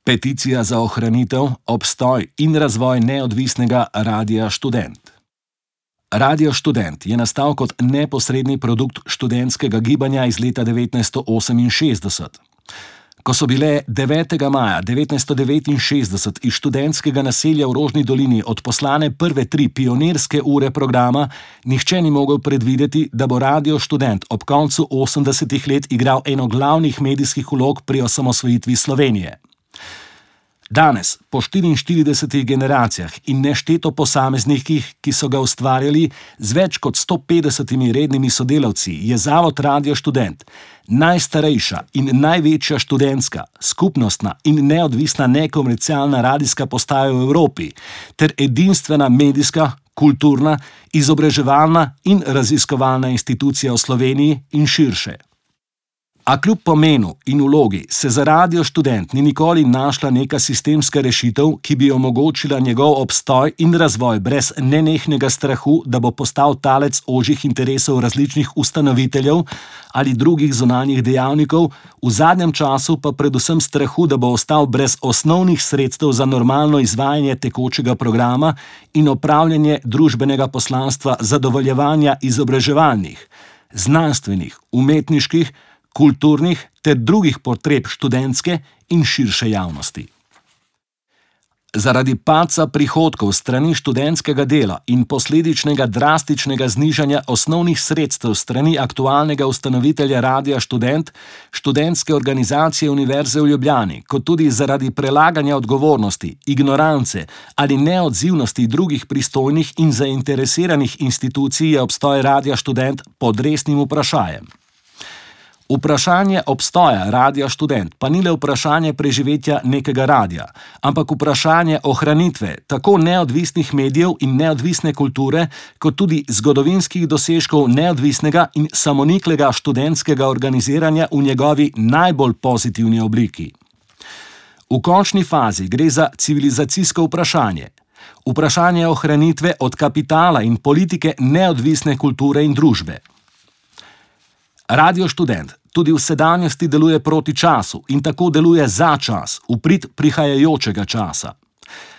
Peticija za ohranitev, obstoj in razvoj neodvisnega Radia Študent. Radio Študent je nastal kot neposredni produkt študentskega gibanja iz leta 1968. Ko so bile 9. maja 1969 iz študentskega naselja v Rožni dolini odposlane prve 3 pionirske ure programa, nihče ni mogel predvideti, da bo Radio Študent ob koncu 80. let igral eno glavnih medijskih vlog pri osamosvojitvi Slovenije. Danes, po 44 generacijah in nešteto posameznikih, ki so ga ustvarjali, z več kot 150 rednimi sodelavci, je Zavod Radio Študent najstarejša in največja študentska, skupnostna in neodvisna nekomercialna radijska postaja v Evropi ter edinstvena medijska, kulturna, izobraževalna in raziskovalna institucija v Sloveniji in širše. A kljub pomenu in vlogi se za Radio Študent ni nikoli našla neka sistemska rešitev, ki bi omogočila njegov obstoj in razvoj brez nenehnega strahu, da bo postal talec ožjih interesov različnih ustanoviteljev ali drugih zunanjih dejavnikov, v zadnjem času pa predvsem strahu, da bo ostal brez osnovnih sredstev za normalno izvajanje tekočega programa in opravljanje družbenega poslanstva zadovoljevanja izobraževalnih, znanstvenih, umetniških, kulturnih ter drugih potreb študentske in širše javnosti. Zaradi padca prihodkov strani študentskega dela in posledičnega drastičnega znižanja osnovnih sredstev strani aktualnega ustanovitelja Radia Študent, študentske organizacije Univerze v Ljubljani, kot tudi zaradi prelaganja odgovornosti, ignorance ali neodzivnosti drugih pristojnih in zainteresiranih institucij je obstoj Radia Študent pod resnim vprašanjem. Vprašanje obstoja Radia Študent pa ni le vprašanje preživetja nekega radia, ampak vprašanje ohranitve tako neodvisnih medijev in neodvisne kulture, kot tudi zgodovinskih dosežkov neodvisnega in samoniklega študentskega organiziranja v njegovi najbolj pozitivni obliki. V končni fazi gre za civilizacijsko vprašanje. Vprašanje ohranitve od kapitala in politike neodvisne kulture in družbe. Radio Študent tudi v sedanjosti deluje proti času in tako deluje za čas, v prid prihajajočega časa.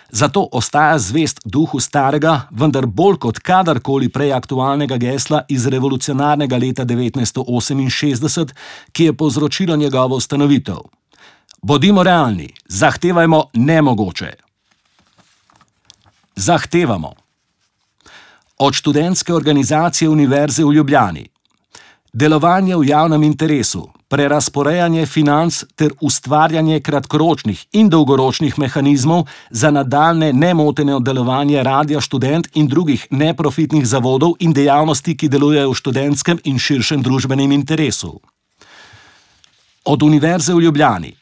Zato ostaja zvest duhu starega, vendar bolj kot kadarkoli prej aktualnega gesla iz revolucionarnega leta 1968, ki je povzročilo njegovo ustanovitev. Bodimo realni, zahtevajmo nemogoče. Zahtevamo od študentske organizacije Univerze v Ljubljani delovanje v javnem interesu, prerazporejanje financ ter ustvarjanje kratkoročnih in dolgoročnih mehanizmov za nadaljnje nemoteno delovanje Radia Študent in drugih neprofitnih zavodov in dejavnosti, ki delujejo v študentskem in širšem družbenem interesu. Od Univerze v Ljubljani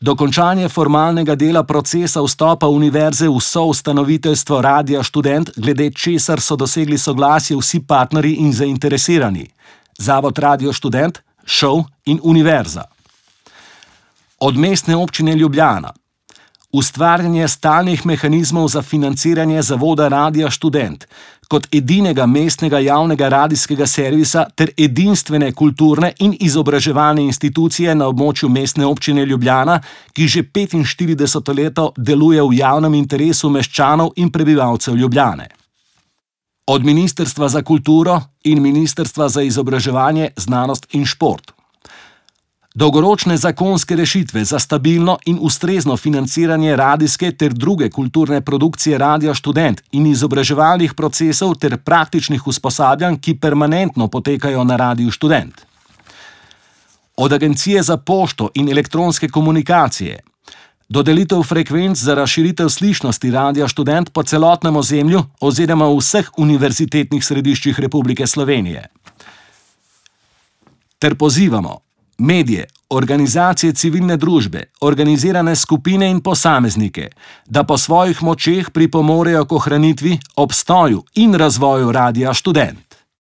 dokončanje formalnega dela procesa vstopa Univerze v soustanoviteljstvo Radia Študent, glede česar so dosegli soglasje vsi partnerji in zainteresirani. Zavod Radio Študent, ŠOU in Univerza. Od Mestne občine Ljubljana ustvarjanje stalnih mehanizmov za financiranje Zavoda Radia Študent kot edinega mestnega javnega radijskega servisa ter edinstvene kulturne in izobraževalne institucije na območju Mestne občine Ljubljana, ki že 45 leto deluje v javnem interesu meščanov in prebivalcev Ljubljane. Od Ministrstva za kulturo in Ministrstva za izobraževanje, znanost in šport. Dolgoročne zakonske rešitve za stabilno in ustrezno financiranje radijske ter druge kulturne produkcije Radia Študent in izobraževalnih procesov ter praktičnih usposabljanj, ki permanentno potekajo na Radiu Študent. Od Agencije za pošto in elektronske komunikacije dodelitev frekvenc za razširitev slišnosti Radia Študent po celotnem ozemlju oziroma v vseh univerzitetnih središčih Republike Slovenije. Ter pozivamo medije, organizacije civilne družbe, organizirane skupine in posameznike, da po svojih močeh pripomorejo k ohranitvi, obstoju in razvoju Radia Študent.